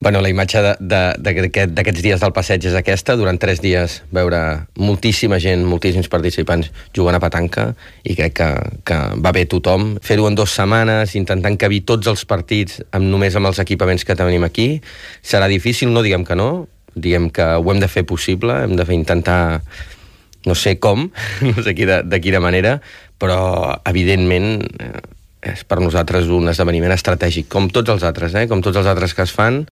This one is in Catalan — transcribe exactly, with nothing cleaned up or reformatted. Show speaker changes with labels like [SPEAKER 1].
[SPEAKER 1] Bueno, la imatge d'aquests dies del passeig és aquesta, durant tres dies veure moltíssima gent, moltíssims participants jugant a petanca, i crec que, que va bé tothom. Fer-ho en dues setmanes, intentant cabir tots els partits amb, només amb els equipaments que tenim aquí, serà difícil, no diguem que no, diguem que ho hem de fer possible, hem de fer intentar, no sé com, no sé de, de quina manera, però evidentment és per nosaltres un esdeveniment estratègic, com tots els altres, eh? com tots els altres que es fan,